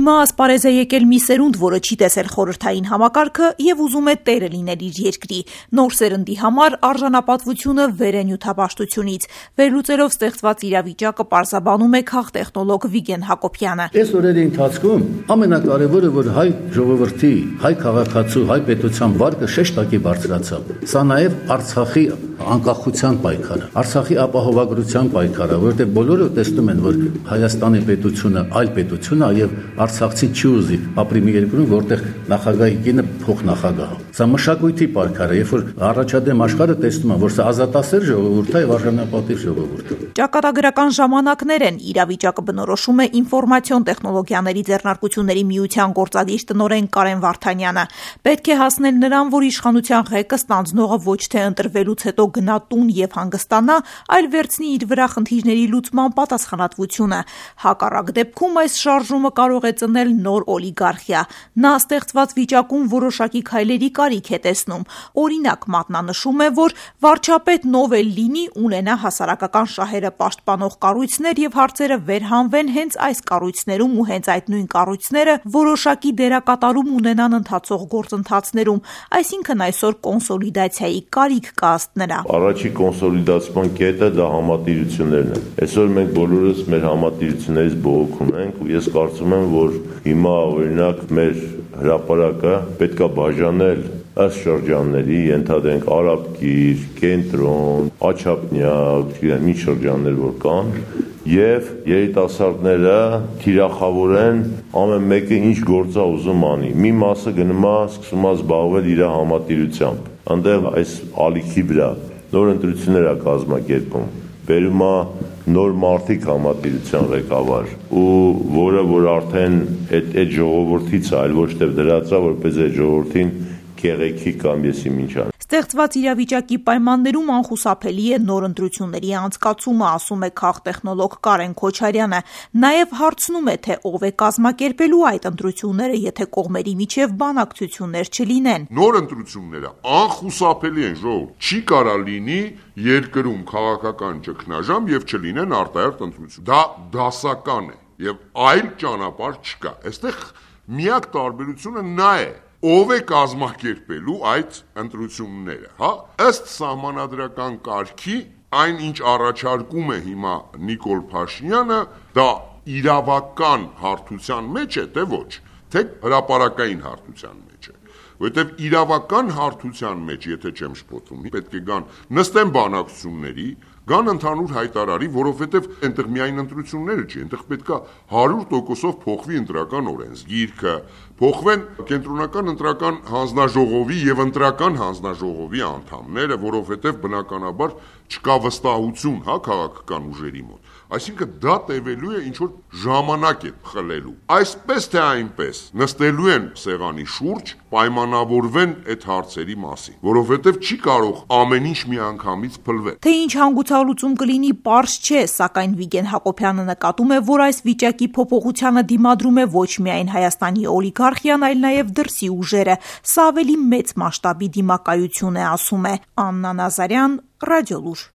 Հիմա ասպարեզ է եկել մի սերունդ, որը չի տեսել խորհրդային համակարգը եւ ուզում է տերը լինել իր երկրի։ Նոր սերնդի համար արժանապատվությունը վեր է նյութապաշտությունից։ Վերլուծելով ստեղծված իրավիճակը պարզաբանում է քաղտեխնոլոգ Վիգեն Հակոբյանը։ Այս օրերի ընթացքում ամենակարևորը, որ հայ ժողովրդի, հայ քաղաքացու, հայ պետության վարկը շեշտակի բարձրացավ։ Սա նաեւ Արցախի անկախության պայքարը, Արցախի ապահովագրության պայքարը, որտեղ բոլորը տեսնում են, որ Հայաստանի պետությունը այլ պետություն է եւ Արցախցի չի ուզի ապրի մի երկրում, որտեղ նախագահի կինը փոխնախագահ է։ Սա մշակույթի պայքարը, երբ որ առաջադեմ աշխարհը տեսնում է, որ սա ազատասեր ժողովուրդ է եւ արժանապատիվ ժողովուրդ է։ Ճակատագրական ժամանակներ են, իրավիճակը բնորոշում է ինֆորմացիոն տեխնոլոգիաների ձեռնարկությունների միության գործադիր տնօրեն Կարեն Վարդանյանը։ Պետք է հասնել նրան, որ իշխանության ղեկը ստանձնողը ոչ թե ընտրվելուց հետո գնա տուն եւ հանգստանա, այլ վերցնի իր վրա խնդիրների լուծման պատասխանատվությունը։ Հակառակ դեպքում այս շարժումը կարող է ծնել նոր օլիգարխիա։ Նա ստեղծված վիճակում որոշակի քայլերի կարիք է տեսնում։ Օրինակ, մատնանշում է, որ վարչապետն ով էլ լինի, ունենա հասարակական շահերը պաշտպանող կառույցներ եւ հարցերը վերհանվեն հենց այս կառույցներում ու հենց այդ նույն կառույցները որոշակի դերակատարում ունենան ընթացող գործընթացներում, այսինքն այսօր կոնսոլիդացիայի կարիք կա ըստ նրա։ Առաջի կոնսոլիդացիան կետը դա համատիրություններն են։ Այսօր մենք բոլորս մեր համատիրություններից բողոքում ենք ու ես կարծում եմ, որ հիմա օրինակ մեր հրապարակը պետքա բաժանել ըստ շրջանների, ենթադրենք Արաբկիր, Կենտրոն, Աչափնյակ, ինչ շրջաններ որ կան, եւ երիտասարդները թիրախավորեն ամեն մեկը ինչ գործ է ուզում անի։ Մի մասը գնում է սկսում է զբաղվել իր համատիրությամբ։ Այնտեղ այս ալիքի վրա նոր ընտրություններ է կազմակերպում, բերում է նոր մարդիկ համատիրության ղեկավար ու որ արդեն այդ ժողովրդից է, այլ ոչ թե դրածա, որպես այդ ժողովրդին կեղեքի կամ եսի ինչան։ Ստեղծված իրավիճակի պայմաններում անխուսափելի է նոր ընտրությունների անցկացումը, ասում է քաղտեխնոլոգ Կարեն Քոչարյանը։ Նաև հարցնում է, թե ով է կազմակերպելու այդ ընտրությունները, եթե կողմերի միջև բանակցություններ չլինեն։ Նոր ընտրությունները անխուսափելի են, ժողովուրդ։ Չի կարա լինի երկրում քաղաքական ճգնաժամ եւ չլինեն արտահերթ ընտրություն։ Դա դասական է եւ այլ ճանապարհ չկա։ Այստեղ միակ տարբերությունը նա է, ով է կազմակերպելու այդ ընտրությունները, հա? Ըստ սահմանադրական կարգի, այն ինչ առաջարկում է հիմա Նիկոլ Փաշինյանը, դա իրավական հարթության մեջ է, թե ոչ, թե հրապարակային հարթության մեջ է։ Որովհետև իրավական հարթության մեջ, եթե չեմ շփոթվում, պետք է գան նստեն բանակցությունների, գան ընդհանուր հայտարարի, որովհետև այնտեղ միայն ընտրությունները չի, այնտեղ պետքա 100%-ով փոխվի ընտրական օրենսգիրքը, փոխվեն կենտրոնական ընտրական հանձնաժողովի եւ ընտրական հանձնաժողովի անդամները, որովհետև բնականաբար չկա վստահություն, հա, քաղաքական ուժերի մոտ։ Այսինքն դա տևելու է ինչ որ ժամանակ է խլելու։ Այսպես թե այնպես նստելու են սեղանի շուրջ, պայմանավորվեն այդ հարցերի մասին, որովհետև չի կարող ամեն ինչ միանգամից փլվել։ Թե ինչ հանգուցալուծում կլինի, պարզ չէ, սակայն Վիգեն Հակոբյանը նկատում է, որ այս վիճակի փոփոխությանը դիմադրում է ոչ միայն Հայաստանի օլիգարխիան, այլ նաև դրսի ուժերը։ Սա ավելի մեծ մասշտաբի դիմակայություն է, ասում է Աննա Նազարյան, Ռադիոլուր։